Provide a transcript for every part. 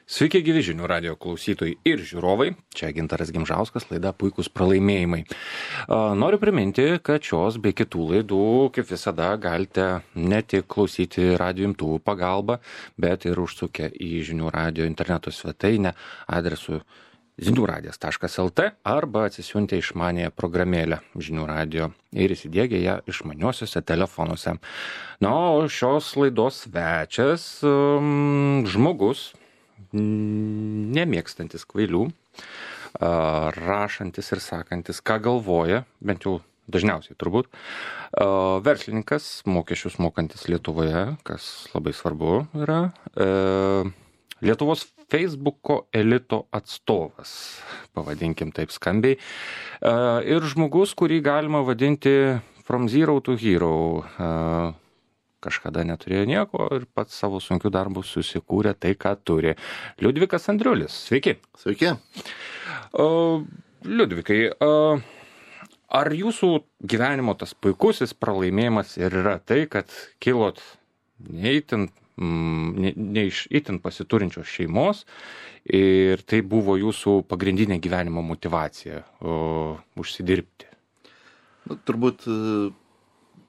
Sveiki gyvi žinių radio klausytojai ir žiūrovai. Čia Gintaras Gimžauskas, laida Puikūs pralaimėjimai. Noriu priminti, kad šios bei kitų laidų, kaip visada, galite ne tik klausyti radio imtuvų pagalba, bet ir užsukę į žinių radio interneto svetainę adresu žiniųradijas.lt arba atsisiuntę išmanėją programėlę žinių radio ir įsidiegę ją išmaniuosiuose telefonuose. Na, o šios laidos svečias žmogus, nemėgstantis kvailių, rašantis ir sakantis, ką galvoja, bent jau dažniausiai turbūt, verslininkas, mokesčius mokantis Lietuvoje, kas labai svarbu yra, Lietuvos Facebooko elito atstovas, pavadinkim taip skambiai, ir žmogus, kurį galima vadinti from zero to hero. Kažkada neturėjo nieko ir pats savo sunkių darbų susikūrė tai, ką turi. Liudvikas Andriulis, sveiki. Sveiki. Liudvikai, ar jūsų gyvenimo tas puikusis pralaimėjimas ir yra tai, kad kilot ne iš itin pasiturinčios šeimos ir tai buvo jūsų pagrindinė gyvenimo motyvacija užsidirbti? Turbūt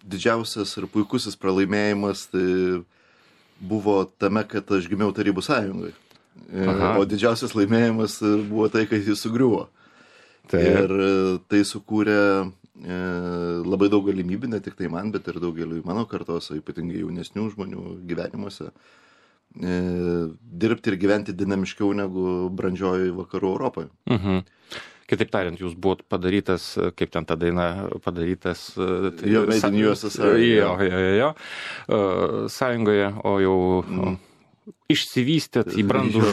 didžiausias ir puikusis pralaimėjimas tai buvo tame, kad aš gimiau Tarybų Sąjungai. O didžiausias laimėjimas buvo tai, kad jis sugriuvo. Tai. Ir tai sukūrė labai daug galimybių, ne tik tai man, bet ir daugeliui mano kartos, ypatingai jaunesnių žmonių gyvenimuose, dirbti ir gyventi dinamiškiau negu brandžioji vakarų Europoje. Kitaip tariant, jūs buvot padarytas, kaip ten ta daina padarytas... Jo, made in USSR. Jo. Sąjungoje, o jau išsivystėt į brandų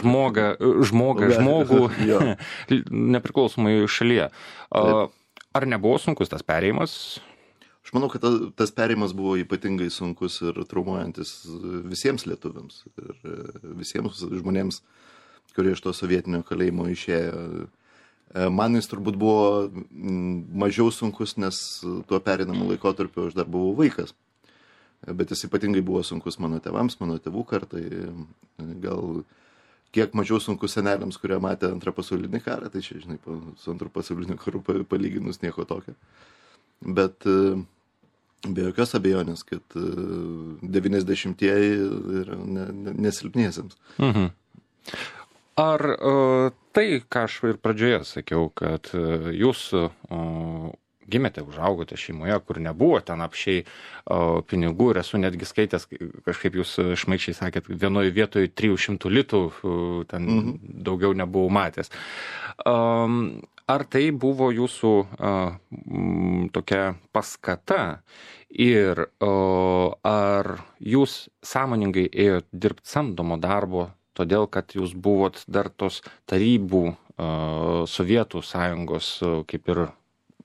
žmogų nepriklausomai šalyje. Ar nebuvo sunkus tas perėjimas? Aš manau, kad tas perėjimas buvo ypatingai sunkus ir traumuojantis visiems lietuviams ir visiems žmonėms, kurie iš to sovietinio kalėjimo išėjo. Man jis turbūt buvo mažiau sunkus, nes tuo pereinamu laikotarpiu aš dar buvau vaikas. Bet jis ypatingai buvo sunkus mano tėvams, mano tėvų kartai. Gal kiek mažiau sunkus seneliams, kurie matė antrą pasaulinį karą, tai čia, žinai, su antru pasauliniu karu palyginus nieko tokio. Bet be jokios abejonės, kad 90-ieji yra nesilpniesiems. Ar tai, ką aš ir pradžioje sakiau, kad jūs gimėte, užaugote šeimoje, kur nebuvo ten apšiai pinigų ir esu netgi skaitęs, kažkaip jūs šmaikščiai sakėt, vienoje vietoje 300 litų, ten daugiau nebuvau matęs. Ar tai buvo jūsų tokia paskata ir ar jūs sąmoningai ėjot dirbti samdomo darbo, todėl, kad jūs buvot dar tos tarybų Sovietų sąjungos kaip ir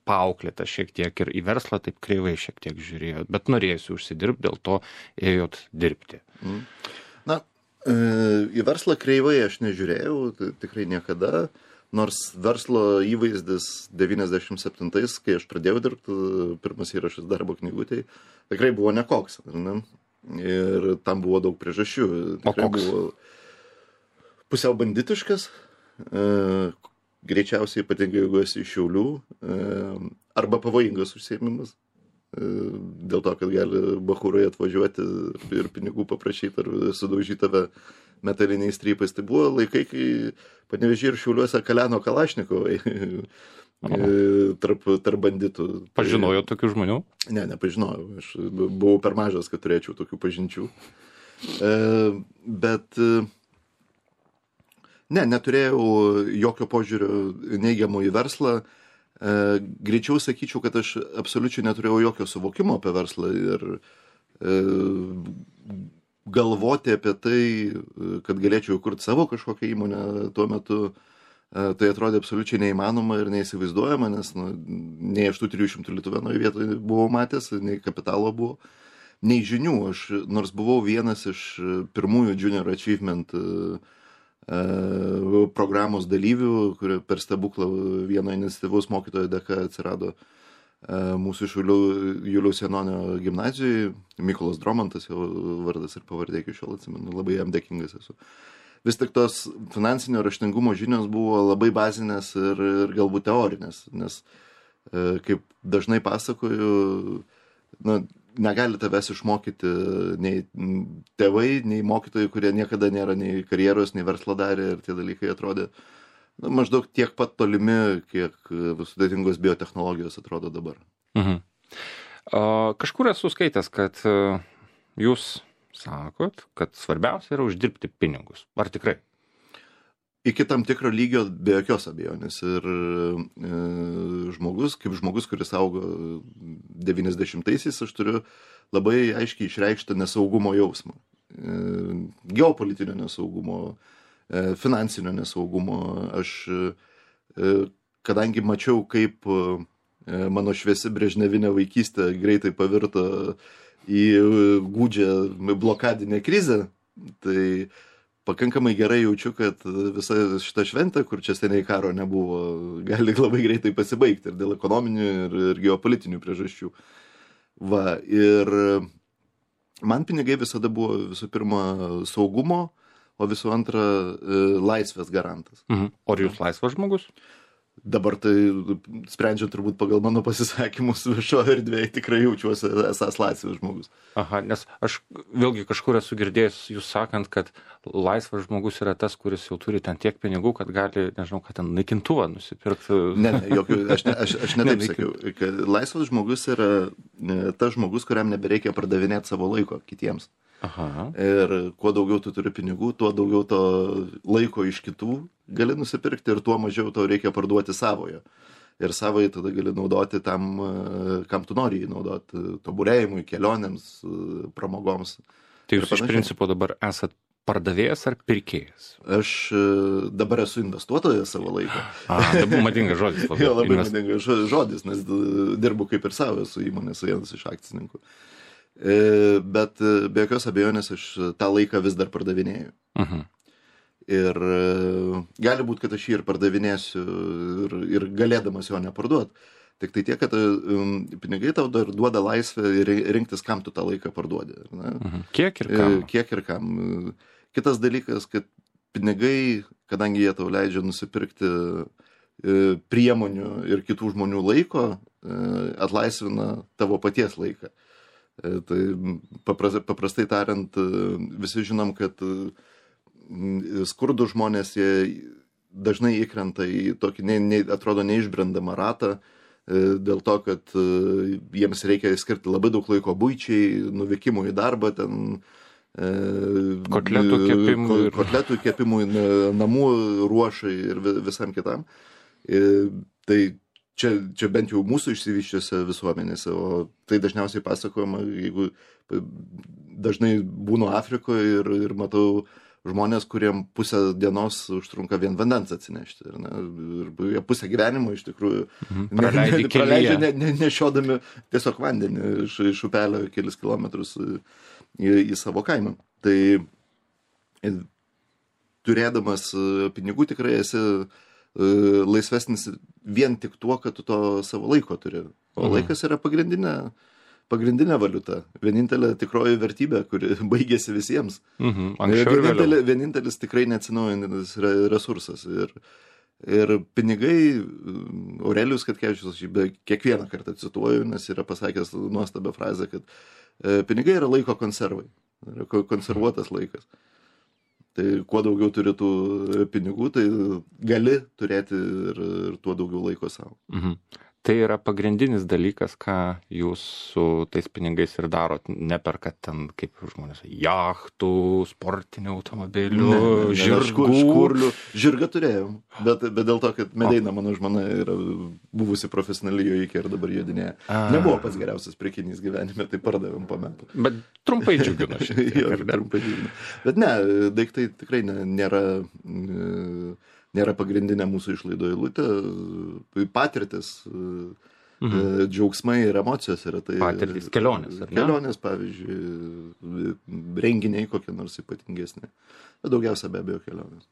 paauklėta šiek tiek ir į verslą taip kreivai šiek tiek žiūrėjot, bet norėjusi užsidirbti, dėl to ėjot dirbti. Na, į verslą kreivai aš nežiūrėjau, tai tikrai niekada, nors verslo įvaizdis 97-ais, kai aš pradėjau dirbti, pirmas įrašas darbo knygutėj, tikrai buvo nekoks. Ne? Ir tam buvo daug priežasčių. Tikrai buvo pusiau banditiškas, greičiausiai ypatingai jeigu esi iš Šiaulių, arba pavojingas užsiėmimas, dėl to, kad gali bachūrai atvažiuoti ir pinigų paprašyti ar sudaužyti tave metaliniais strypais. Tai buvo laikai, kai Panevėžyje ir Šiauliuose kaleno Kalašnikovai tarp banditų. Pažinojo tokių žmonių? Ne, nepažinojau. Aš buvau per mažas, kad turėčiau tokių pažinčių. Bet neturėjau jokio požiūrio neigiamo į verslą. Greičiau sakyčiau, kad aš absoliučiai neturėjau jokio suvokimo apie verslą ir galvoti apie tai, kad galėčiau kurti savo kažkokią įmonę tuo metu, tai atrodė absoliučiai neįmanoma ir neįsivaizduojama, nes nei aš tų 300 litų vienoje vietoje buvau matęs, nei kapitalo buvo, nei žinių. Aš nors buvau vienas iš pirmųjų Junior Achievement programos dalyvių, kurie per stebuklą vieno iniciatyvaus mokytojo dėka atsirado mūsų Šiaulių Juliaus Janonio gimnazijoje. Mykolas Dromantas, jo vardas ir pavardė iki šiol atsimenu, labai jam dėkingas esu. vis tik tos finansinio raštingumo žinios buvo labai bazinės ir galbūt teorinės, nes kaip dažnai pasakoju, negali tavęs išmokyti nei tėvai, nei mokytojai, kurie niekada nėra nei karjeros, nei verslo darė ir tie dalykai atrodė maždaug tiek pat tolimi, kiek sudėtingos biotechnologijos atrodo dabar. Kažkur esu skaitęs, kad jūs sakot, kad svarbiausia yra uždirbti pinigus. Ar tikrai? Iki tam tikro lygio be jokios abejonės. Ir žmogus, kuris augo 90-aisiais, aš turiu labai aiškiai išreikštą nesaugumo jausmą. Geopolitinio nesaugumo, finansinio nesaugumo. Aš, kadangi mačiau, kaip mano šviesi brežnevinė vaikystė greitai pavirto į gūdžią blokadinę krizę, tai pakankamai gerai jaučiu, kad visa šita šventė, kur čia seniai karo nebuvo, gali labai greitai pasibaigti ir dėl ekonominių ir geopolitinių priežasčių. Va, ir man pinigai visada buvo visų pirma saugumo, o visų antra laisvės garantas. O ar jūs laisvas žmogus? Dabar tai, sprendžiant turbūt pagal mano pasisakymus viešoje erdvėje, tikrai jaučiuosi esas laisvas žmogus. Aha, nes aš vėlgi kažkur esu girdėjęs jūs sakant, kad laisvas žmogus yra tas, kuris jau turi ten tiek pinigų, kad gali, nežinau, kad ten naikintuvą nusipirkti. Ne, aš ne taip sakiau. Kad laisvas žmogus yra tas žmogus, kuriam nebereikia pardavinėti savo laiko kitiems. Aha. Ir kuo daugiau tu turi pinigų, tuo daugiau to laiko iš kitų gali nusipirkti ir tuo mažiau tau reikia parduoti savojo. Ir savai tada gali naudoti tam, kam tu nori jį naudoti, tobulėjimui, kelionėms, pramogoms. Tai jūs iš principo dabar esat pardavėjas ar pirkėjas? Aš dabar esu investuotojas savo laiko. Dabar madingas žodis. Jo, labai madingas žodis, nes dirbu kaip ir savo, esu įmonės vienas iš akcininkų. Bet be jokios abejonės aš tą laiką vis dar pardavinėju. Ir gali būti, kad aš jį ir pardavinėsiu ir galėdamas jo neparduoti. Tik tai tiek, kad pinigai tau dar duoda laisvę rinktis, kam tu tą laiką parduodi. Kiek ir kam? Kiek ir kam. Kitas dalykas, kad pinigai, kadangi jie tau leidžia nusipirkti priemonių ir kitų žmonių laiko, atlaisvina tavo paties laiką. Tai paprastai tariant, visi žinom, kad skurdų žmonės jie dažnai įkrenta į tokį, atrodo, neišbrendamą ratą, dėl to, kad jiems reikia skirti labai daug laiko buičiai, nuvykimui į darbą, ten kotletų kepimui, namų ruošai ir visam kitam. Tai čia bent jau mūsų išsivyščiuose visuomenėse, o tai dažniausiai pasakojama, jeigu dažnai būnu Afrikoje ir matau žmonės, kuriem pusę dienos užtrunka vien vandens atsinešti. Ir pusę gyvenimo iš tikrųjų praleidžia nešiodami tiesiog vandenį iš upelio kelis kilometrus į savo kaimą. Tai turėdamas pinigų tikrai esi laisvesnis vien tik tuo, kad tu to savo laiko turi. O laikas yra pagrindinė valiuta, vienintelė tikroji vertybė, kuri baigėsi visiems. Vienintelis tikrai neatsinaujantis resursas. Ir pinigai, Aurelijus Katkevičius, aš kiekvieną kartą cituoju, nes yra pasakęs nuostabią frazę, kad pinigai yra laiko konservai, yra konservuotas laikas. Tai kuo daugiau turi tų pinigų, tai gali turėti ir tuo daugiau laiko savo. Tai yra pagrindinis dalykas, ką jūs su tais pinigais ir darot. Neperkat ten, kaip žmonės, jachtų, sportinių automobilių, žirgų. Žirgą turėjom, bet dėl to, kad Medeina, mano žmona, yra buvusi profesionali jojikė ir dabar jodinėja. Nebuvo pats geriausias prekinys gyvenime, tai pardavėm po metų. Bet trumpai džiugino šiek tiek. Jo, trumpai džiugino. Bet ne, daiktai tikrai nėra pagrindinė mūsų išlaidų eilutė, patirtis, džiaugsmai ir emocijos yra tai. Patirtis, kelionės, ar ne? Kelionės, pavyzdžiui, renginiai kokie nors ypatingesni. Bet daugiausia be abejo kelionės.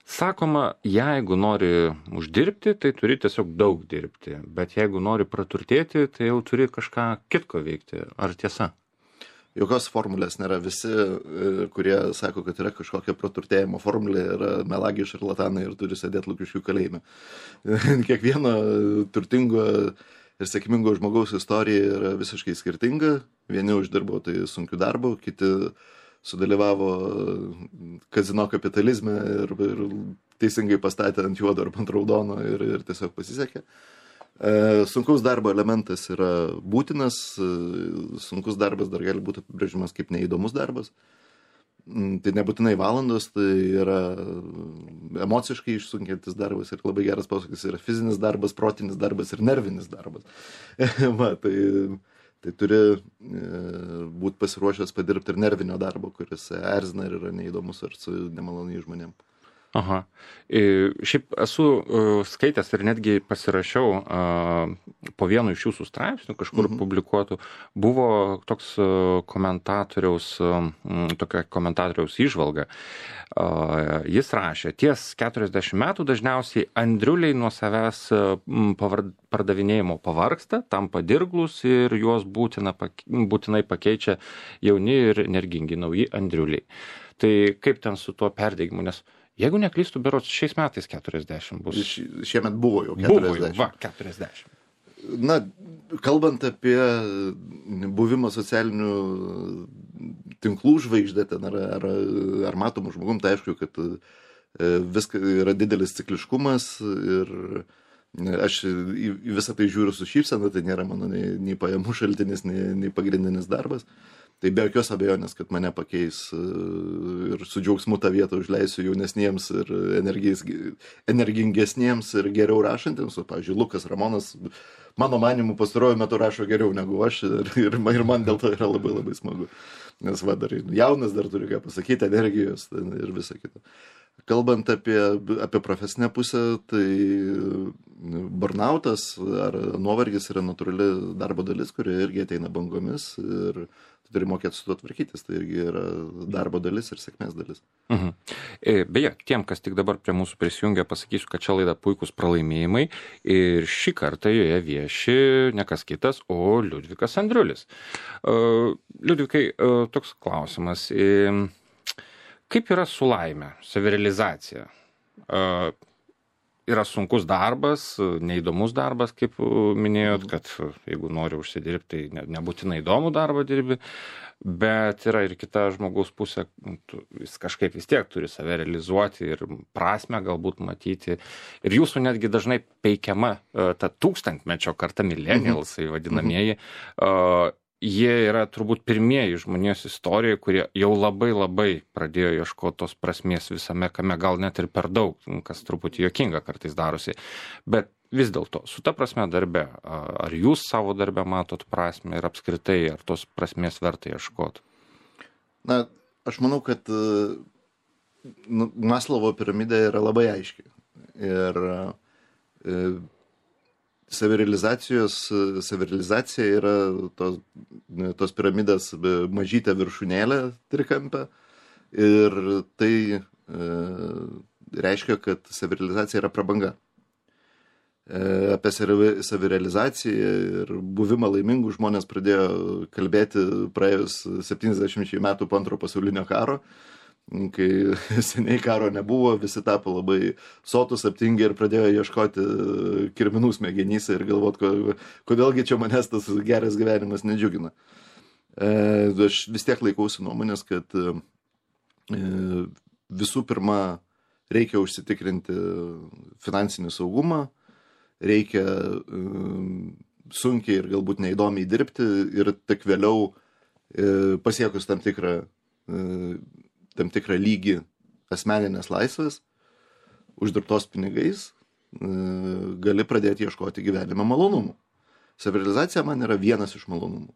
Sakoma, jeigu nori uždirbti, tai turi tiesiog daug dirbti, bet jeigu nori praturtėti, tai jau turi kažką kitko veikti. Ar tiesa? jokios formulės nėra. Visi, kurie sako, kad yra kažkokia praturtėjimo formulė, yra melagiai šarlatanai ir turi sėdėti Lukiškių kalėjime. Kiekvieno turtingo ir sėkmingo žmogaus istorija yra visiškai skirtinga. Vieni uždirbo tai sunkiu darbu, kiti sudalyvavo kazino kapitalizme ir teisingai pastatė ant juodo ar ant raudono ir tiesiog pasisekė. Sunkaus darbo elementas yra būtinas, sunkus darbas dar gali būti apibrėžimas kaip neįdomus darbas. Tai nebūtinai valandos, tai yra emociškai išsunkiantis darbas ir labai geras posakis yra fizinis darbas, protinis darbas ir nervinis darbas. Va, tai turi būti pasiruošęs padirbti ir nervinio darbo, kuris erzina ir yra neįdomus ar su nemaloniai žmonėm. Aha. Šiaip esu skaitęs ir netgi pasirašiau po vienu iš jūsų straipsnių, kažkur publikuotų, buvo toks tokia komentatoriaus įžvalga. Jis rašė, ties 40 metų dažniausiai andriuliai nuo savęs pardavinėjimo pavargsta, tampa dirglus ir juos būtinai pakeičia jauni ir energingi nauji andriuliai. Tai kaip ten su tuo perdegimu, nes jeigu neklystu, berods šiais metais 40 bus. Šiemet buvo jau 40. Buvo, va, 40. Na, kalbant apie buvimą socialinių tinklų žvaigždė ten ar matomų žmogum, tai aišku, kad viskas yra didelis cikliškumas ir aš į visą tai žiūriu su šypsena, tai nėra mano nei pajamų šaltinis, nei pagrindinis darbas. Tai be jokios abejonės, kad mane pakeis ir su džiaugsmu tą vietą užleisiu jaunesniems ir energingesniems ir geriau rašantiems. O, pavyzdžiui, Lukas Ramonas, mano manimu, pastaruoju metu rašo geriau negu aš ir man dėl to yra labai labai smagu. Nes va, dar jaunas, dar turi ką pasakyti, energijos ir visa kita. Kalbant apie profesinę pusę, tai burnautas ar nuovargis yra natūrali darbo dalis, kuri irgi ateina bangomis ir turi mokėti su tuo tvarkytis, tai irgi yra darbo dalis ir sėkmės dalis. Beje, tiem, kas tik dabar prie mūsų prisijungia, pasakysiu, kad čia laida Puikūs pralaimėjimai ir šį kartą joje vieši ne kas kitas, o Liudvikas Andriulis. Liudvikai, toks klausimas. Kaip yra su laime, savirealizacija? Yra sunkus darbas, neįdomus darbas, kaip minėjot, kad jeigu nori užsidirbti, tai nebūtinai įdomų darbą dirbi, bet yra ir kita žmogaus pusė, jis kažkaip vis tiek turi save realizuoti ir prasmę galbūt matyti. Ir jūsų netgi dažnai peikiama ta tūkstantmečio karta millennialsai vadinamieji, jie yra turbūt pirmieji žmonijos istorijoje, kurie jau labai labai pradėjo ieškoti tos prasmės visame kame, gal net ir per daug, kas truputį juokinga kartais darosi. Bet vis dėlto, su ta prasme darbe, ar jūs savo darbe matot prasmę ir apskritai, ar tos prasmės verta ieškoti? Na, aš manau, kad Maslovo piramidė yra labai aiški. Ir savirealizacija yra tos piramidės mažytė viršūnėlė trikampė ir tai reiškia, kad savirealizacija yra prabanga. Apie savirealizaciją ir buvimą laimingų žmonės pradėjo kalbėti praėjus 70 metų po Antro pasaulinio karo, kai seniai karo nebuvo, visi tapo labai sotus, aptingę ir pradėjo ieškoti kirminų smegenyse ir galvoti, kodėlgi čia manęs tas geras gyvenimas nedžiugina. Aš vis tiek laikausi nuomonės, kad visų pirma reikia užsitikrinti finansinį saugumą, reikia sunkiai ir galbūt neįdomiai dirbti ir tik vėliau pasiekus tam tikrą lygį asmeninės laisvės, uždirbtos pinigais, gali pradėti ieškoti gyvenime malonumų. Savirealizacija man yra vienas iš malonumų,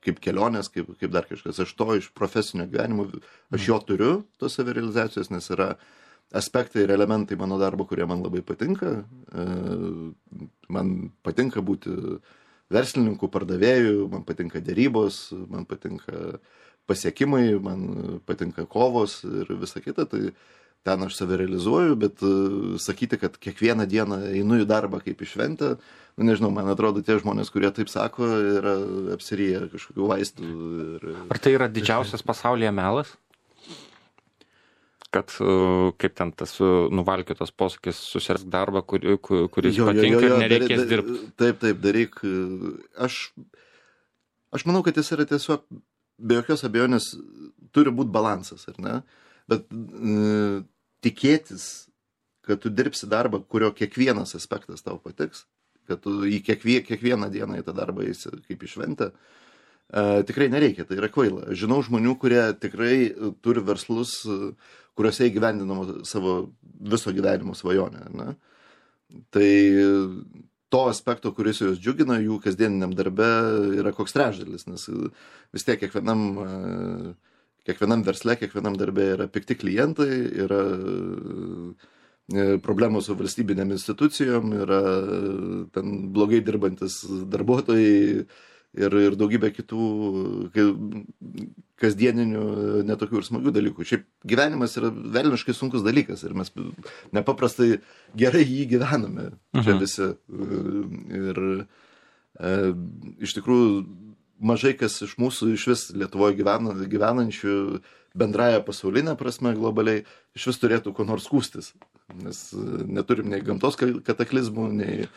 kaip kelionės, kaip dar kažkas. Aš to iš profesinio gyvenimo, aš jo turiu, tos savirealizacijos, nes yra aspektai ir elementai mano darbo, kurie man labai patinka. Man patinka būti verslininku, pardavėju, man patinka derybos, man patinka pasiekimai, man patinka kovos ir visa kita, tai ten aš save realizuoju, bet sakyti, kad kiekvieną dieną einu į darbą kaip į šventę, nežinau, man atrodo, tie žmonės, kurie taip sako, yra apsiryję kažkokių vaistų. Ar tai yra didžiausias pasaulyje melas? Kad, kaip ten tas nuvalkiotas posakis, susirask darbą, kuris patinka ir nereikės dirbti. Taip, daryk. Aš manau, kad jis yra tiesiog, be jokios abejonės, turi būti balansas, ar ne? Bet tikėtis, kad tu dirbsi darbą, kurio kiekvienas aspektas tau patiks, kad tu į kiekvieną dieną į tą darbą eisi kaip į šventę, tikrai nereikia, tai yra kvaila. Žinau žmonių, kurie tikrai turi verslus, kuriuose įgyvendinama savo viso gyvenimo svajonę. Ne? Tai to aspekto, kuris juos džiugina, jų kasdieniniam darbe yra koks trečdalis, nes vis tiek kiekvienam versle, kiekvienam darbe yra pikti klientai, yra problemų su valstybinėm institucijom, yra ten blogai dirbantis darbuotojai ir daugybė kitų kasdieninių netokių ir smagių dalykų. Šiaip gyvenimas yra velniškai sunkus dalykas ir mes nepaprastai gerai jį gyvename čia visi. Ir iš tikrųjų mažai kas iš mūsų iš vis Lietuvoje gyvenančių bendraja pasaulinė prasme globaliai iš vis turėtų ko nors skųstis, nes neturim nei gamtos kataklizmų, nei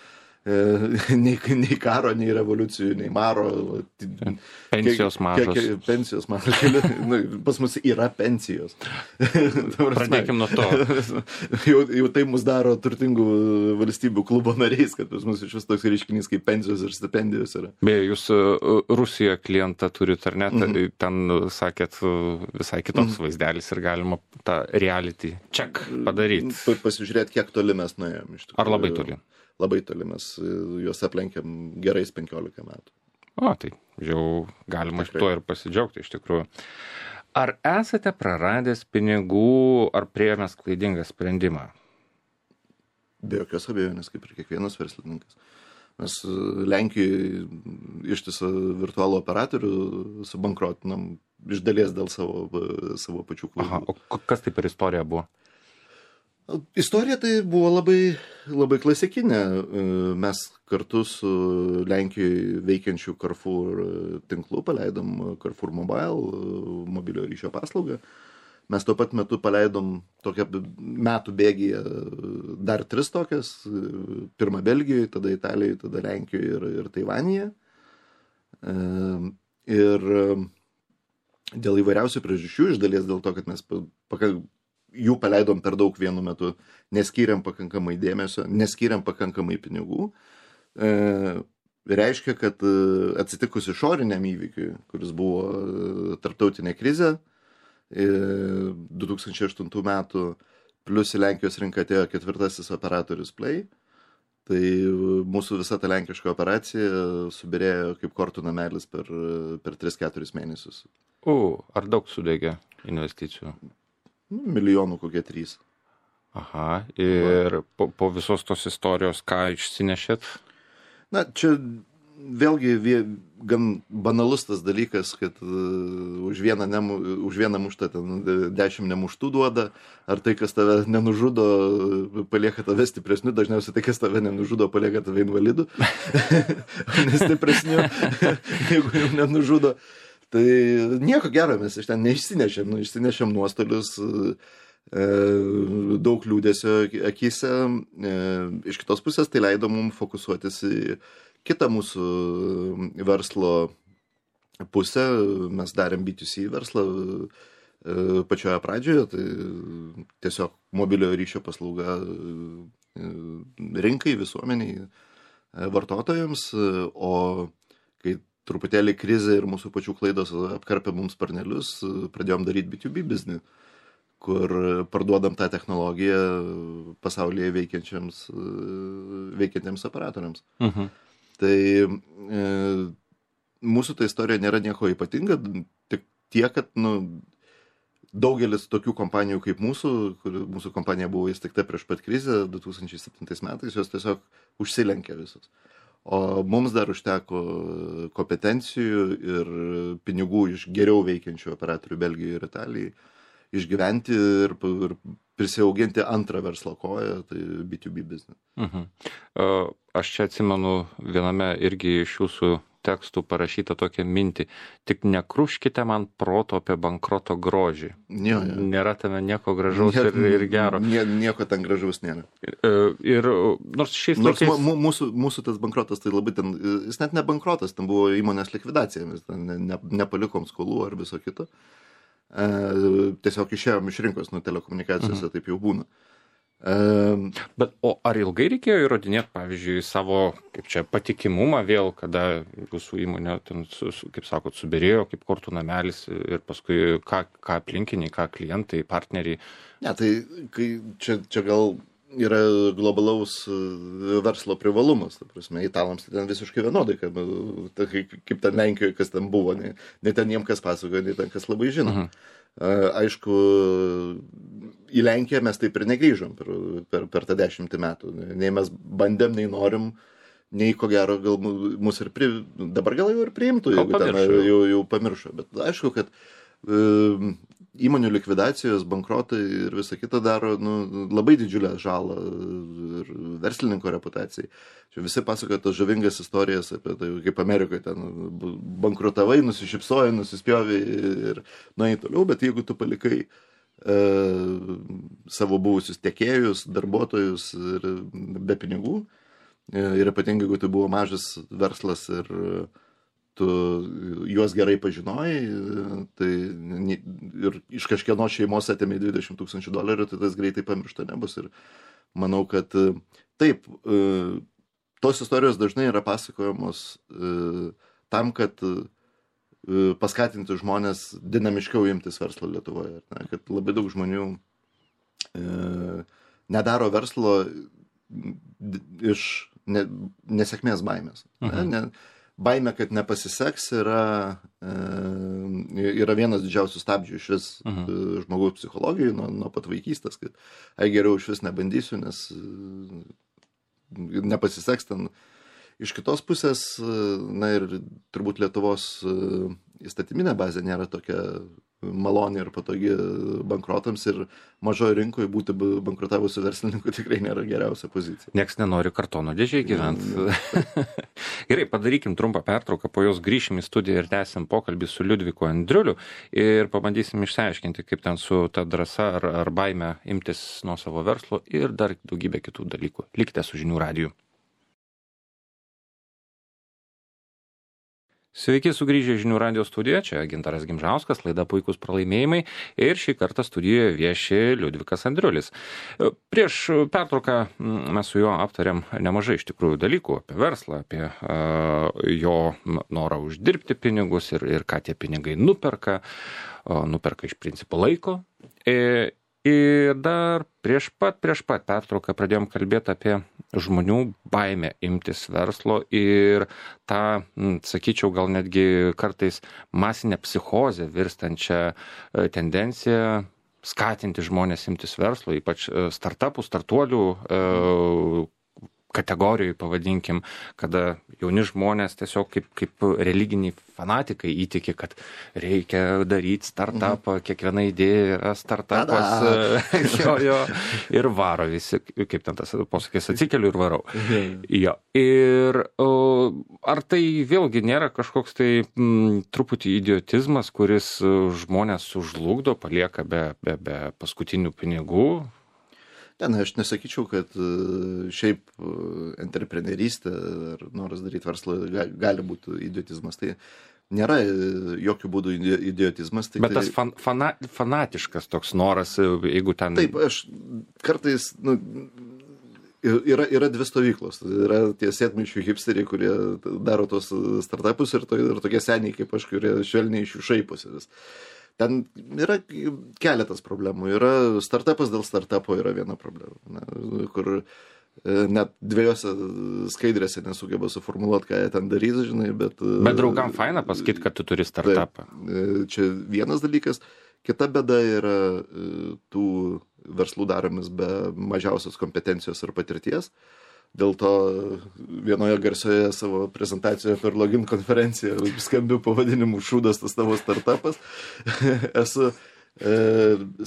karo, nei revoliucijų, nei maro. Pensijos mažos. Pensijos mažos. Pas mus yra pensijos. Pradėkim nuo to. Jau tai mus daro turtingų valstybių klubo nariais, kad pas mus iš vis toks reiškinys kaip pensijos ir stipendijos yra. Beje, jūs Rusijoje klientą turit ar ne? Ten sakėt visai kitoks vaizdelis ir galima tą reality check padaryti. Pasižiūrėti, kiek toli mes nuėjom iš tikrųjų. Ar labai toli? Labai toli, mes juos aplenkėm gerais 15 metų. O, tai jau galima tuo ir pasidžiaugti iš tikrųjų. Ar esate praradęs pinigų, ar priėmęs klaidingą sprendimą? Be jokios abejonės, kaip ir kiekvienas verslininkas. Mes Lenkijoje ištisą virtualų operatorių subankrotinam iš dalies dėl savo pačių klaidų. Aha, o kas tai per istorija buvo? Istorija tai buvo labai, labai klasikinė. Mes kartu su Lenkijoje veikiančių Carrefour tinklu paleidom Carrefour Mobile mobiliojo ryšio paslaugą. Mes tuo pat metu paleidom tokią metų bėgyje dar 3 tokias. Pirmą Belgijoje, tada Italijoje, tada Lenkijoje ir Taivanėje. Ir dėl įvairiausių priežasčių, iš dalies dėl to, kad mes jų paleidom per daug vienu metu, neskyrėm pakankamai dėmesio, neskyrėm pakankamai pinigų. Reiškia, kad atsitikus išoriniam įvykiui, kuris buvo tarptautinė krizė, 2008 metų, plus į Lenkijos rinką atėjo 4. operatorius Play, tai mūsų visa ta lenkiška operacija subirėjo kaip kortų namelis per 3-4 mėnesius. Ar daug sudegė investicijų? Milijonų kokie 3. Aha, ir po visos tos istorijos ką išsinešėt? Na, čia vėlgi gan banalus tas dalykas, kad už vieną muštą ten 10 nemuštų duoda, ar tai, kas tave nenužudo, palieka tave stipresniu, dažniausiai tai, kas tave nenužudo, palieka tave invalidu, nestipresniu, jeigu jau nenužudo. Tai nieko gero mes iš ten išsinešėm nuostolius, daug liūdesio akyse. Iš kitos pusės tai leido mums fokusuotis į kitą mūsų verslo pusę. Mes darėm B2C verslą pačioje pradžioje, tai tiesiog mobiliojo ryšio paslauga rinkai, visuomeniai, vartotojams, o kai truputėlį krizė ir mūsų pačių klaidos apkarpė mums sparnelius, pradėjom daryti B2B biznį, kur parduodam tą technologiją pasaulyje veikiantiems operatoriams. Tai mūsų ta istorija nėra nieko ypatinga, tik tiek, kad daugelis tokių kompanijų kaip mūsų kompanija buvo įsteigta prieš pat krizę 2007 metais, jos tiesiog užsilenkė visos. O mums dar užteko kompetencijų ir pinigų iš geriau veikiančių operatorių Belgijoje ir Italijoje išgyventi ir prisiauginti antrą verslo koją, tai B2B business. Aš čia atsimenu viename irgi iš jūsų tekstų parašytą tokią mintį. Tik nekruškite man proto apie bankroto grožį. Jo. Nėra tame nieko gražaus ir gero. Nieko ten gražaus nėra. Ir nors šiais laikais... Mūsų tas bankrotas, tai labai ten, jis net ne bankrotas, ten buvo įmonės likvidacija, mes ten nepalikom skolų ar viso kito. Tiesiog išėjom iš rinkos, telekomunikacijose taip jau būna. Bet ar ilgai reikėjo įrodinėti, pavyzdžiui, savo, kaip čia, patikimumą vėl, kada jūsų įmonė, ten, kaip sakot, subirėjo, kaip kortų namelis ir paskui ką aplinkiniai, ką klientai, partneriai? Ne, tai čia gal yra globalaus verslo privalumas, ta prasme, italams tai ten visiškai vienodai, kaip ten Lenkijoje, kas ten buvo, ne ten jiem kas pasakoja, ne ten kas labai žino. Aišku, į Lenkiją mes taip ir negrįžom per tą 10 metų. Nei mes bandėm, nei norim, nei ko gero gal mus ir dabar gal jau ir priimtų, jeigu ten jau pamiršo. Bet aišku, kad įmonių likvidacijos, bankrotai ir visa kita daro labai didžiulę žalą ir verslininko reputacijai. Čia visi pasakoja tas žavingas istorijas apie tai, kaip Amerikoje ten bankrutavai, nusišypsojai, nusispjovai ir nuėjai toliau, bet jeigu tu palikai savo buvusius tiekėjus, darbuotojus ir be pinigų, ir ypatingai, jeigu tai buvo mažas verslas ir tu juos gerai pažinojai, tai ir iš kažkieno šeimos atėmė $20,000, tai tas greitai pamiršta nebus. Ir manau, kad taip, tos istorijos dažnai yra pasakojamos tam, kad paskatinti žmonės dinamiškiau imtis verslo Lietuvoje. Kad labai daug žmonių nedaro verslo iš nesėkmės baimės. Baimė, kad nepasiseks, yra vienas didžiausių stabdžių iš vis žmogaus psichologijai nuo pat vaikystės, kad geriau iš vis nebandysiu, nes nepasiseks ten. Iš kitos pusės, ir turbūt Lietuvos įstatyminė bazė nėra tokia maloni ir patogi bankrotams ir mažoje rinkoje būti bankrutavusiu verslininku tikrai nėra geriausia pozicija. Niekas nenori kartono dėžėje gyventi. Gerai, padarykim trumpą pertrauką, po jos grįšim į studiją ir tęsim pokalbį su Liudviku Andriuliu ir pabandysim išsiaiškinti, kaip ten su ta drąsa ar baime imtis nuo savo verslo ir dar daugybė kitų dalykų. Likite su Žinių radiju. Sveiki, sugrįžę Žinių radijo studiją, čia Gintaras Gimžauskas, laida Puikūs pralaimėjimai ir šį kartą studijoje vieši Liudvikas Andriulis. Prieš pertrauką mes su juo aptarėm nemažai iš tikrųjų dalykų apie verslą, apie jo norą uždirbti pinigus ir ką tie pinigai nuperka iš principo laiko. Ir dar prieš pat pertrauką pradėjom kalbėti apie žmonių baimę imtis verslo ir tą, sakyčiau, gal netgi kartais masinę psichozę virstančią tendenciją skatinti žmonės imtis verslo, ypač startuolių kategorijai, pavadinkim, kada jauni žmonės tiesiog kaip religiniai fanatikai įtiki, kad reikia daryti startupą, kiekviena idėja yra startupas, ir varo visi, kaip ten tas posakis, atsikeliu ir varau. Jo. Ir ar tai vėlgi nėra kažkoks tai truputį idiotizmas, kuris žmonės sužlugdo, palieka be paskutinių pinigų? Aš nesakyčiau, kad šiaip entreprenerystė ar noras daryti verslą gali būti idiotizmas. Tai nėra jokių būdų idiotizmas. Bet tas fanatiškas toks noras, jeigu ten... Taip, aš kartais... Yra dvi stovyklos. Yra tie sėdmaišių hipsteriai, kurie daro tos startupus ir tokie seniai kaip aš, kurie švelniai iš jų šaiposi. Ten yra keletas problemų. Yra startupas dėl startupo yra viena problema, kur net dviejose skaidrėse nesugeba suformuluoti, ką jie ten darys, žinai, bet draugam faina pasakyti, kad tu turi startupą. Čia vienas dalykas. Kita bėda yra tų verslų daromis be mažiausios kompetencijos ir patirties. dėl to vienoje garsioje savo prezentacijoje per login konferenciją skambiu pavadinimu šūdas tas tavo startupas. Esu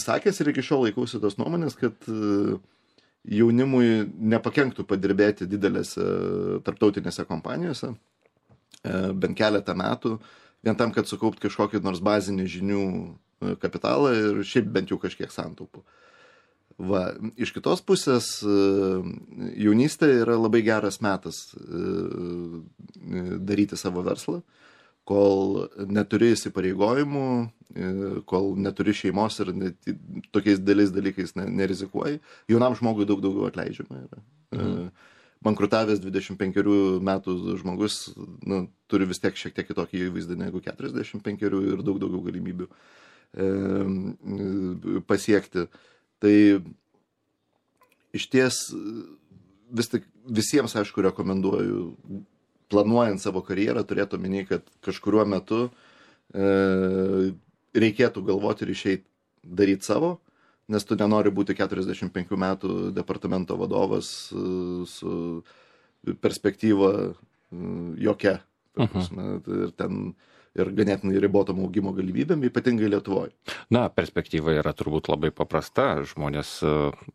sakęs ir iki šiol laikausi tos nuomonės, kad jaunimui nepakenktų padirbėti didelėse tarptautinėse kompanijose bent keletą metų, vien tam, kad sukaupt kažkokį nors bazinį žinių kapitalą ir šiaip bent jau kažkiek santaupų. Va, iš kitos pusės jaunystė yra labai geras metas daryti savo verslą, kol neturi įsipareigojimų, kol neturi šeimos ir tokiais dėliais dalykais nerizikuoji. Jaunam žmogui daug daugiau atleidžiama yra. Bankrutavęs 25 metų žmogus turi vis tiek šiek tiek kitokį įvaizdį negu 45 ir daug daugiau galimybių pasiekti. Tai iš ties vis tik visiems, aišku, rekomenduoju, planuojant savo karjerą, turėtų omeny, kad kažkuriuo metu reikėtų galvoti ir išeiti daryti savo, nes tu nenori būti 45 metų departamento vadovas su perspektyva jokia. Ir ganėtinai ribotom augimo galimybėm, ypatingai Lietuvoje. Na, perspektyva yra turbūt labai paprasta. Žmonės,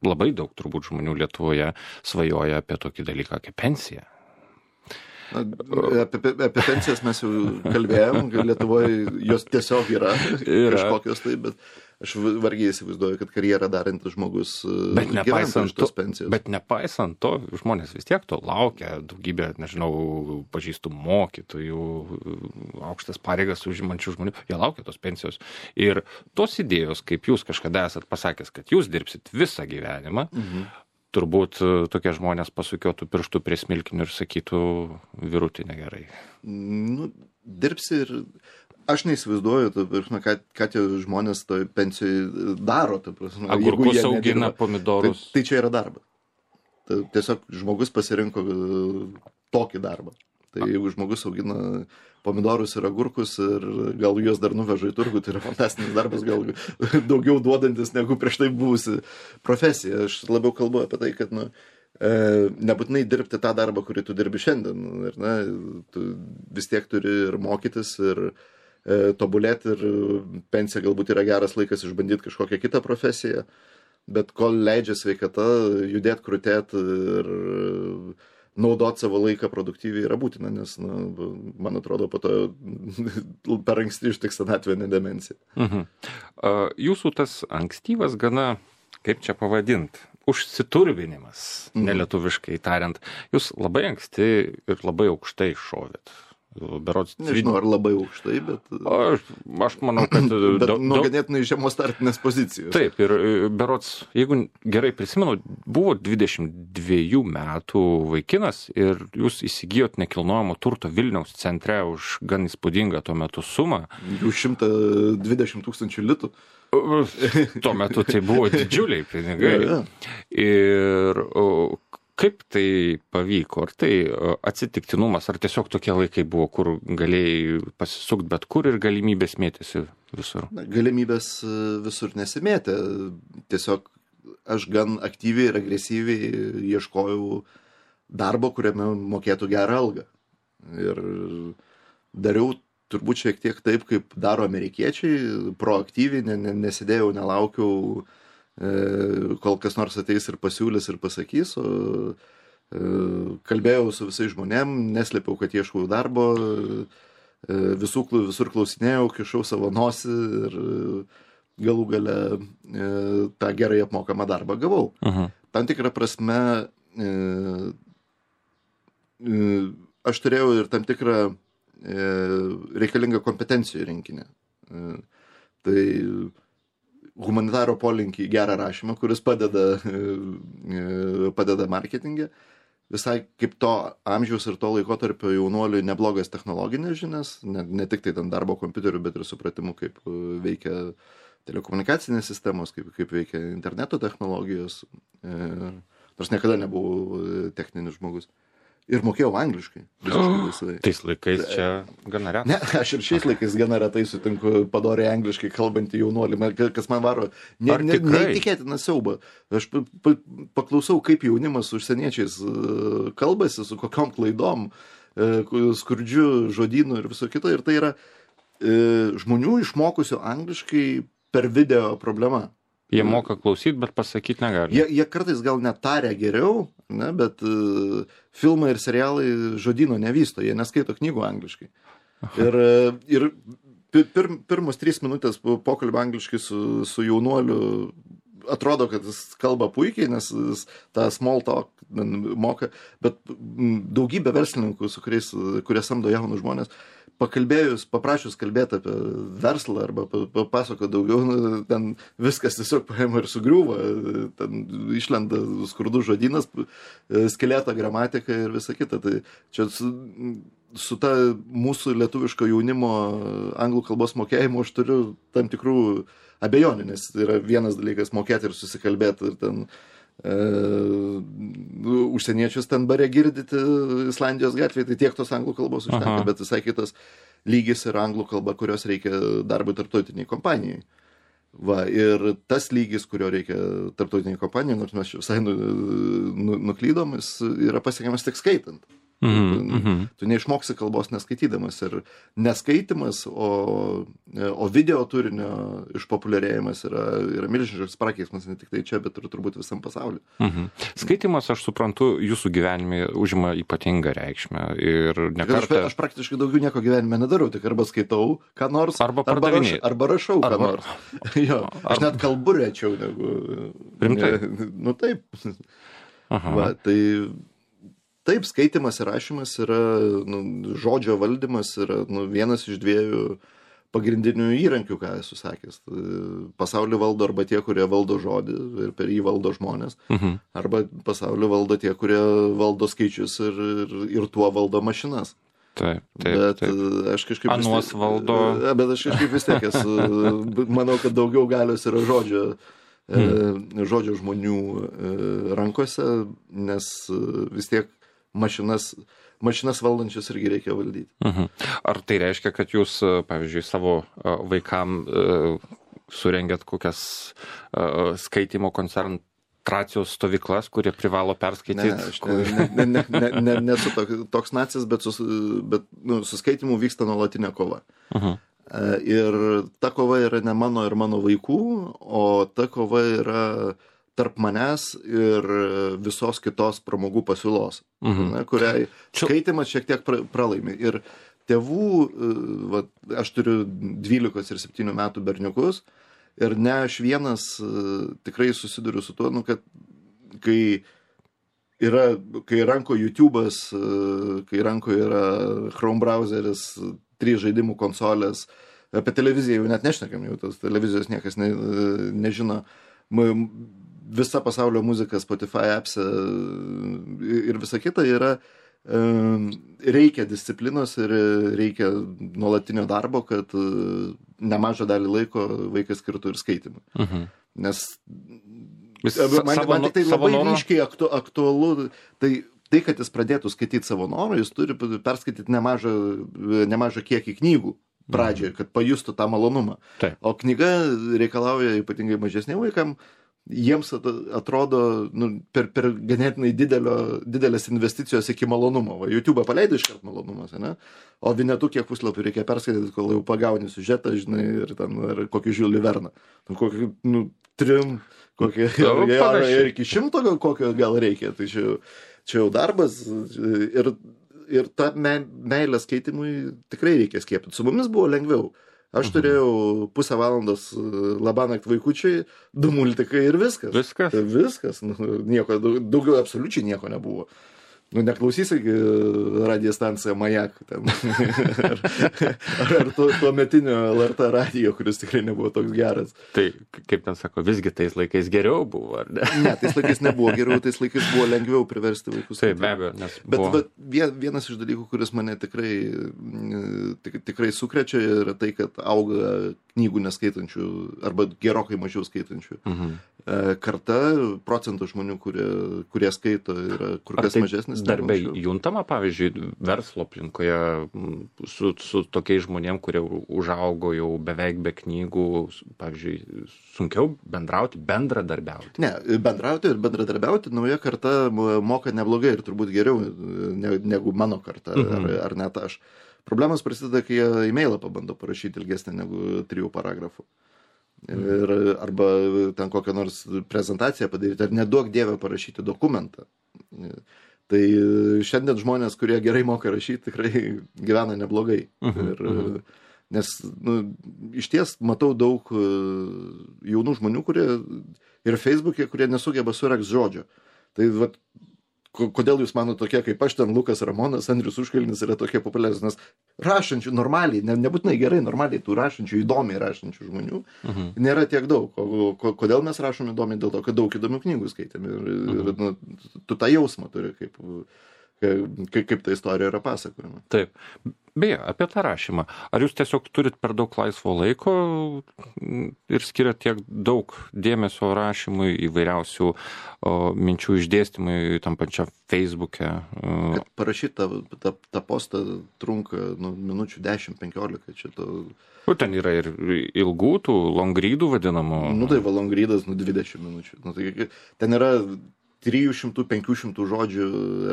labai daug turbūt žmonių Lietuvoje svajoja apie tokį dalyką kaip pensija. Apie pensijas mes jau kalbėjom, Lietuvoje jos tiesiog yra. Kažkokios tai, bet aš vargiai įsivaizduoju, kad karjerą darantis žmogus gyventų iš tos pensijos. Bet nepaisant to, žmonės vis tiek to laukia, daugybė, nežinau, pažįstų mokytojų, aukštas pareigas užimančių žmonių, jie laukia tos pensijos. Ir tos idėjos, kaip jūs kažkada esat pasakęs, kad jūs dirbsit visą gyvenimą, turbūt tokie žmonės pasukiotų pirštų prie smilkinių ir sakytų, vyrutį negerai. Dirbsi ir aš neįsivaizduoju, ką tie žmonės toj pensijoj daro. Agurkus augina, pomidorus. Tai čia yra darbas. Tiesiog žmogus pasirinko tokį darbą. Tai jeigu žmogus augina pomidorus ir agurkus ir gal juos dar nuveža į turgų, tai yra fantastinis darbas, gal daugiau duodantis negu prieš tai buvusi profesija. Aš labiau kalbu apie tai, kad nebūtinai dirbti tą darbą, kurį tu dirbi šiandien. Ir, tu vis tiek turi ir mokytis, ir tobulėti, ir pensija galbūt yra geras laikas išbandyti kažkokią kitą profesiją, bet kol leidžia sveikata, judėti, krutėti ir naudoti savo laiką produktyviai yra būtina, nes, man atrodo, po to per anksti ištiks senatvinė demencija. Jūsų tas ankstyvas gana, kaip čia pavadint, užsiturbinimas, nelietuviškai tariant, jūs labai anksti ir labai aukštai šovėt. Berods, nežinau, ar labai aukštai, bet aš manau, kad ganėtinai žemos startinės pozicijos. Taip, ir berods, jeigu gerai prisimenu, buvo 22 metų vaikinas ir jūs įsigijot nekilnojamo turto Vilniaus centre už gan įspūdingą tuo metu sumą. Jau 120 000 litų. Tuo metu tai buvo didžiuliai pinigai. Ir kaip tai pavyko? Ar tai atsitiktinumas, ar tiesiog tokie laikai buvo, kur galėjai pasisukti bet kur ir galimybės mėtėsi visur? Galimybės visur nesimėtė. Tiesiog aš gan aktyviai ir agresyviai ieškojau darbo, kuriame mokėtų gerą algą. Ir dariau turbūt šiek tiek taip, kaip daro amerikiečiai, proaktyviai, nesidėjau, nelaukiau, kol kas nors ateis ir pasiūlys ir pasakys, kalbėjau su visais žmonėm, neslėpiau, kad ieškau darbo, visur klausinėjau, kišau savo nosį ir galų gale tą gerai apmokamą darbą gavau. Tam tikrą prasme aš turėjau ir tam tikrą reikalingą kompetencijų rinkinį. Tai humanitaro polinkį į gerą rašymą, kuris padeda marketingė. Visai kaip to amžiaus ir to laikotarpio jaunuoliui neblogas technologinės žinias, ne tik tai ten darbo kompiuterių, bet ir supratimu, kaip veikia telekomunikacinės sistemos, kaip veikia interneto technologijos. Nors niekada nebuvau techninis žmogus. ir mokėjau angliškai. Visiškai laisvai. Tais laikais čia gana retas. Ne, aš ir šiais laikais gana retai sutinku padoriai angliškai kalbantį jaunuolį, kas man varo neįtikėtiną siaubą. Aš paklausau, kaip jaunimas su užsieniečiais kalbasi, su kokiom klaidom, skurdžiu žodynu ir viso kito. Ir tai yra žmonių išmokusių angliškai per video problema. Jie moka klausyti, bet pasakyti negali. Jie kartais gal netarė geriau, ne, bet filmai ir serialai žodyno nevysto, jie neskaito knygų angliškai. Ir pirmus 3 minutės pokalbio angliškai su jaunuoliu atrodo, kad jis kalba puikiai, nes jis tą small talk moka, bet daugybė verslininkų, kurie samdo jaunus žmonės, paprašius kalbėti apie verslą arba papasako daugiau, ten viskas tiesiog paima ir sugriūva, ten išlenda skurdų žodynas, skeleto gramatika ir visa kita. Tai čia su ta mūsų lietuviško jaunimo anglų kalbos mokėjimu aš turiu tam tikrų abejonių, nes yra vienas dalykas mokėti ir susikalbėti ir ten užsieniečius ten bare girdyti Islandijos gatvėje, tai tiek tos anglų kalbos užtenka, bet visai kitas lygis yra anglų kalba, kurios reikia darbui tarptautiniai kompanijai. Va, ir tas lygis, kurio reikia tarptautiniai kompanijai, nors mes visai nuklydom, jis yra pasiekiamas tik skaitant. Tu neišmoksi kalbos neskaitydamas ir neskaitimas, o video turinio išpopuliarėjimas yra milžiniškas prakeiksmas ne tik tai čia, bet ir turbūt visam pasauliu. Skaitimas, aš suprantu, jūsų gyvenime užima ypatingą reikšmę ir nekartą... Aš praktiškai daugiau nieko gyvenime nedarau, tik arba skaitau ką nors, arba rašau ką nors. Jo, aš net kalbu rečiau negu... Rimtai? Nu taip. Va, taip, skaitimas ir rašymas yra, žodžio valdymas yra vienas iš 2 pagrindinių įrankių, ką esu sakęs. Pasaulį valdo arba tie, kurie valdo žodį ir per jį valdo žmonės, arba pasaulį valdo tie, kurie valdo skaičius ir tuo valdo mašinas. Taip. Aš kažkaip... Anuos valdo... Bet aš kažkaip vis tiek manau, kad daugiau galios yra žodžio žmonių rankose, nes vis tiek mašinas valdančias irgi reikia valdyti. Ar tai reiškia, kad jūs, pavyzdžiui, savo vaikam surengėt kokias skaitimo koncentracijos stovyklas, kurie privalo perskaityti? Ne, aš nesu toks nacis, bet su skaitimu vyksta nuolatinė kova. Ir ta kova yra ne mano ir mano vaikų, o ta kova yra tarp manęs ir visos kitos pramogų pasiūlos, kuriai skaitimas šiek tiek pralaimi. Ir tėvų, aš turiu 12 ir 7 metų berniukus, ir ne aš vienas tikrai susiduriu su tuo, kad kai ranko YouTube'as, kai ranko yra Chrome browseris, 3 žaidimų konsolės, apie televiziją jau net nešnekam, jau tos televizijos niekas nežino, visa pasaulio muzika, Spotify appse ir visa kita yra, reikia disciplinos ir reikia nuolatinio darbo, kad nemažą dalį laiko vaikas skirtų ir skaitimui. Nes man tik tai labai ryškiai aktualu, tai, kad jis pradėtų skaityti savo norą, jis turi perskaityti nemažą kiekį knygų pradžioje, kad pajustų tą malonumą. O knyga reikalauja ypatingai mažesniem vaikam, jiems atrodo per ganėtinai didelės investicijos iki malonumo. YouTube'ą paleido iškart malonumas, ne? O Vinetu kiek puslapių reikia perskaityti, kol jau pagauni siužetą, žinai, ir kokį Žiulį Verną. Kokį 3, ir iki 100 kokio gal reikia. Tai čia jau darbas ir tą meilę skaitimui tikrai reikia skiepyti. Su mumis buvo lengviau. Aš turėjau pusę valandos labanakt vaikučiai, 2 multikai ir viskas. Viskas. Nieko, daugiau absoliučiai nieko nebuvo. Neklausysi radijo stanciją Majak ten. ar tuo metinio LRT radijo, kuris tikrai nebuvo toks geras. Tai, kaip ten sako, visgi tais laikais geriau buvo, ar ne? Ne, tais laikais nebuvo geriau, tais laikais buvo lengviau priversti vaikus. Taip, be abejo, nes buvo... Bet vienas iš dalykų, kuris mane tikrai sukrečia, yra tai, kad auga knygų neskaitančių arba gerokai mažiau skaitančių. Karta procentų žmonių, kurie skaito, yra kur kas mažesnis. Darbė juntama, pavyzdžiui, verslo aplinkoje su tokiais žmonėm, kurie užaugo jau beveik be knygų, pavyzdžiui, sunkiau bendradarbiauti? Ne, bendrauti ir bendradarbiauti nauja karta moka neblogai ir turbūt geriau negu mano karta ar net aš. Problemas prasideda, kai jie e-mailą pabando parašyti ilgesnį negu 3 paragrafų. Arba ten kokią nors prezentaciją padaryti, ar neduok dievę parašyti dokumentą. Tai šiandien žmonės, kurie gerai moka rašyti, tikrai gyvena neblogai. Nes iš ties matau daug jaunų žmonių, kurie ir Facebook'e, kurie nesugeba surekt žodžio. Tai vat, kodėl jūs mano tokie kaip aš, ten Lukas Ramonas, Andrius Užkalnis yra tokie populiarūs, nes rašančių normaliai, nebūtinai gerai, normaliai tų rašančių, įdomiai rašančių žmonių nėra tiek daug. O kodėl mes rašom įdomiai? Dėl to, kad daug įdomių knygų skaitėm ir tu tą jausmą turi, kaip ta istorija yra pasakojama. Taip. Beje, apie tą rašymą. Ar jūs tiesiog turit per daug laisvo laiko ir skiriat tiek daug dėmesio rašymui, įvairiausių minčių išdėstymui tam pačiam Facebook'e? Kad parašyti tą postą trunka minučių 10-15. Čia to... Ten yra ir ilgų, tų long readų vadinamų. Tai va long readas 20 minučių. Tai ten yra 300-500 žodžių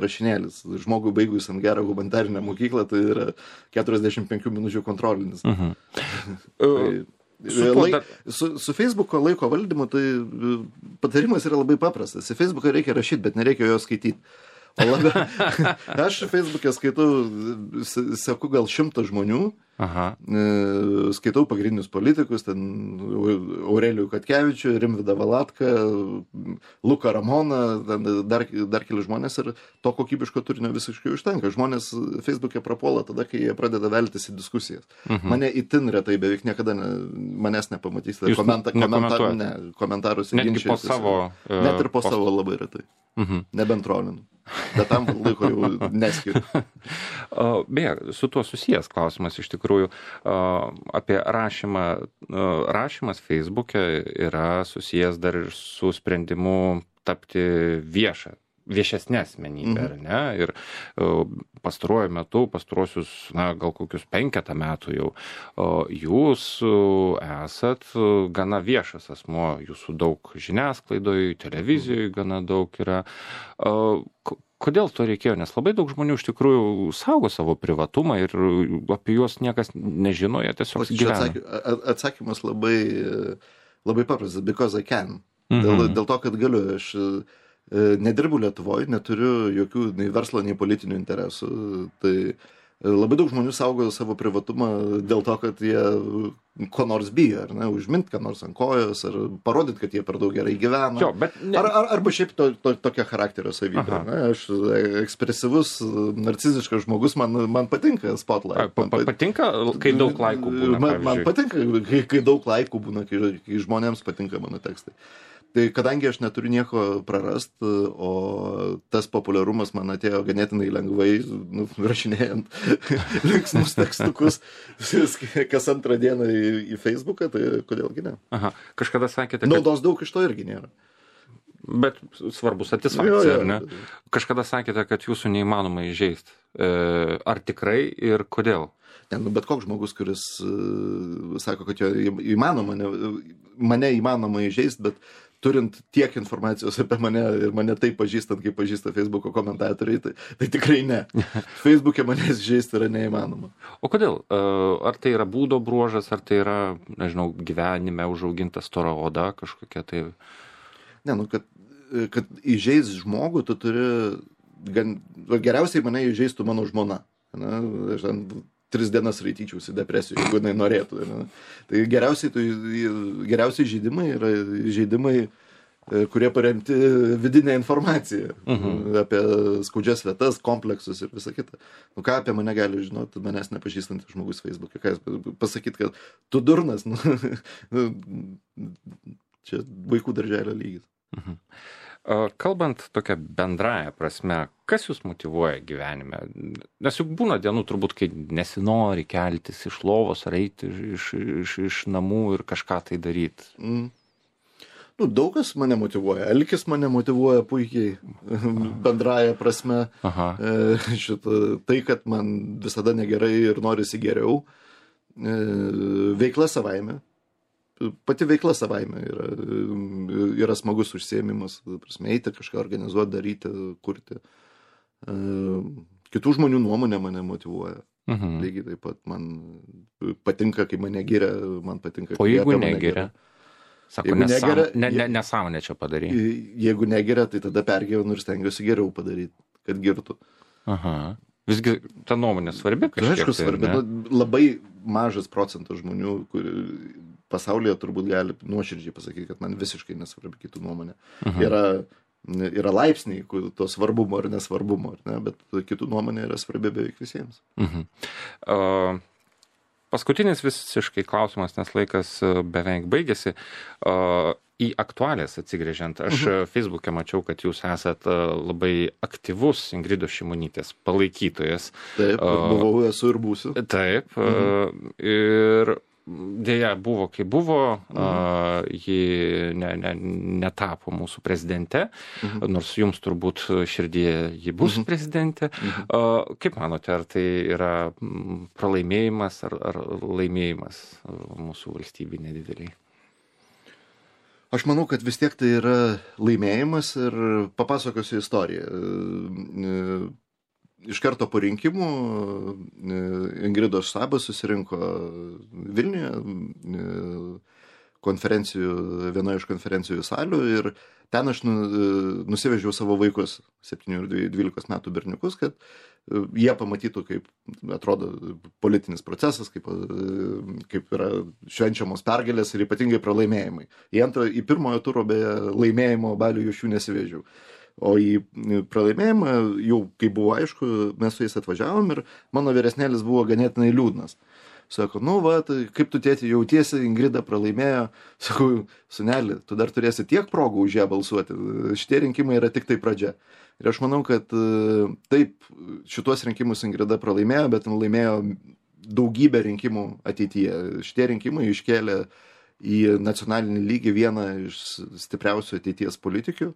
rašinėlis. Žmogui baigusiam gerą humanitarinę mokyklą, tai yra 45 minučių kontrolinis. Su Facebook'o laiko valdymu, tai patarimas yra labai paprastas. Į Facebook'ą reikia rašyti, bet nereikia jo skaityti. Aš Facebook'e skaitau, seku gal 100 žmonių, skaitau pagrindinius politikus, ten Aurelijų Katkevičių, Rimvydą Valatką, Luką Ramoną, dar keli žmonės ir to kokybiško turinio visiškai užtenka. Žmonės Facebook'e prapuola tada, kai jie pradeda veltis į diskusijas. Mane itin retai, beveik niekada manęs nepamatys. Komentarus ginčiasi. Net ir po savo labai retai. Nebent trolinu. Bet tam laiko jau neskiriu. Beje, su tuo susijęs klausimas iš tikrųjų apie rašymą. Rašymas Facebook'e yra susijęs dar ir su sprendimu tapti viešesnė asmenybė, ar ne? Ir pastaruoju metu, pastaruosius, gal kokius 5 metų jau, jūs esat gana viešas asmuo, jūsų daug žiniasklaidoje, televizijoje gana daug yra. Kodėl to reikėjo? Nes labai daug žmonių iš tikrųjų saugo savo privatumą ir apie juos niekas nežino, jie tiesiog gyvena. Atsakymas labai paprastas, because I can. Dėl to, kad galiu. Aš nedirbu Lietuvoje, neturiu jokių nei verslo, nei politinių interesų. Tai labai daug žmonių saugo savo privatumą dėl to, kad jie ko nors bijo, ar ne, užmint ką nors ant kojos, ar parodyti, kad jie per daug gerai gyvena. Arba šiaip tokia charakterio savybė. Aš ekspresyvus, narciziškas žmogus, man patinka spotlight. Patinka, kai daug laikų būna, pavyzdžiui? Man patinka, kai daug laikų būna, kai žmonėms patinka mano tekstai. Tai kadangi aš neturiu nieko prarast, o tas populiarumas man atėjo ganėtinai lengvai, rašinėjant linksmus tekstukus kas antrą dieną į Facebooką, tai kodėlgi ne? Kažkada sakėte, kad... Naudos daug iš to irgi nėra. Bet svarbu satisfakcija, ar ne? Kažkada sakėte, kad jūsų neįmanoma įžeisti. Ar tikrai ir kodėl? Bet koks žmogus, kuris sako, kad jo įmanoma, mane įmanoma įžeisti, bet turint tiek informacijos apie mane ir mane taip pažįstant, kaip pažįsta Facebook'o komentatoriai, tai tikrai ne. Facebook'e manęs žaisti yra neįmanoma. O kodėl? Ar tai yra būdo bruožas, ar tai yra, nežinau, gyvenime užauginta stora oda kažkokia tai? Ne, kad įžeis žmogų, tu turi, geriausiai mane įžeistų mano žmona. Aš 3 dienas raityčiausi depresijų, jeigu jinai norėtų. Tai geriausiai žaidimai yra žaidimai, kurie paremti vidinę informaciją apie skaudžias vietas, kompleksus ir visą kitą. Ką apie mane gali žinoti manęs nepažįstantis žmogus Facebook'e? Ką jis pasakyt, kad tu durnas? Čia vaikų darželio lygis. Kalbant tokia bendraja prasme, kas jūs motyvuoja gyvenime? Nes juk būna dienų turbūt, kai nesinori keltis iš lovos ar eiti iš namų ir kažką tai daryti. Nu, daug kas mane motyvuoja. Alkis mane motyvuoja puikiai bendraja prasme. Tai, kad man visada negerai ir norisi geriau. Veikla savaime. Pati veikla savaime yra smagus užsiėmimas. Prasme, eiti kažką organizuoti, daryti, kurti. Kitų žmonių nuomonė mane motyvuoja. Lygiai taip pat man patinka, kai mane giria, man patinka, kai jeigu negiria. Sako, nesąmonė čia padarė. Jeigu negeria, tai tada pergyvenu ir stengiuosi geriau padaryti, kad girtų. Visgi ta nuomonė svarbi kažkiek. Aišku, svarbi. Labai mažas procentas žmonių, pasaulyje turbūt gali nuoširdžiai pasakyti, kad man visiškai nesvarbi kitų nuomonė. Yra laipsniai to svarbumo ar nesvarbumo, bet kitų nuomonė yra svarbi beveik visiems. Paskutinis visiškai klausimas, nes laikas beveik baigėsi. Į aktualės atsigręžiant, aš Facebook'e mačiau, kad jūs esat labai aktyvus Ingridos Šimonytės palaikytojas. Taip, buvau, esu ir būsiu. Taip, ir dėja buvo, kai buvo, ji netapo mūsų prezidente, nors jums turbūt širdyje ji bus prezidentė. Kaip manote, ar tai yra pralaimėjimas ar laimėjimas mūsų valstybei nedideliai? Aš manau, kad vis tiek tai yra laimėjimas ir papasakosiu istoriją. Iš karto po rinkimų Ingridos štabas susirinko Vilniuje vienoje iš konferencijų salių ir ten aš nusivežiau savo vaikus, 7 ir 12 metų berniukus, kad jie pamatytų, kaip atrodo politinis procesas, kaip yra švenčiamos pergalės ir ypatingai pralaimėjimai. Į pirmojo turo beje laimėjimo balių iš jų nesivežiau. O į pralaimėjimą, jau kai buvo aišku, mes su jais atvažiavom ir mano vyresnėlis buvo ganėtinai liūdnas. Sako, kaip tu tėti jautiesi, Ingrida pralaimėjo. Sakau, suneli, tu dar turėsi tiek progų už ją balsuoti. Šitie rinkimai yra tik tai pradžia. Ir aš manau, kad taip, šituos rinkimus Ingrida pralaimėjo, bet laimėjo daugybę rinkimų ateityje. Šitie rinkimai iškėlė į nacionalinį lygį vieną iš stipriausių ateities politikių,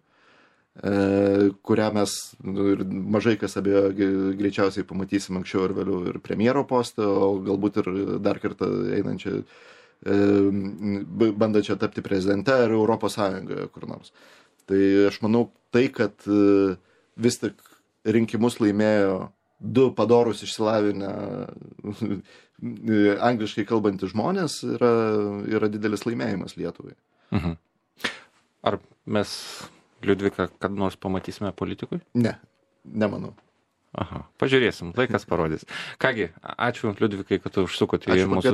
kurią mes mažai kas abejo greičiausiai pamatysim anksčiau ir vėliau ir premjero postą, o galbūt ir dar kartą einančią, bandančią tapti prezidente ar Europos Sąjungoje kur nors. Tai aš manau, tai, kad vis tik rinkimus laimėjo 2 padorus išsilavinę angliškai kalbantys žmonės, yra didelis laimėjimas Lietuvai. Ar mes Liudviką kad nors pamatysime politikui? Ne, nemanau. Pažiūrėsim, laikas parodys. Kągi, ačiū Liudvikai, kad tu užsukote į mūsų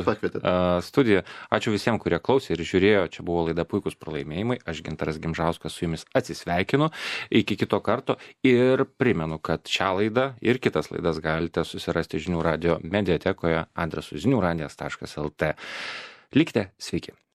studiją. Ačiū visiems, kurie klausė ir žiūrėjo. Čia buvo laida Puikūs pralaimėjimai. Aš Gintaras Gimžauskas su jumis atsisveikinu. Iki kito karto ir primenu, kad šią laidą ir kitas laidas galite susirasti Žinių radijo mediatekoje adresu žiniųradijas.lt. Likite sveiki.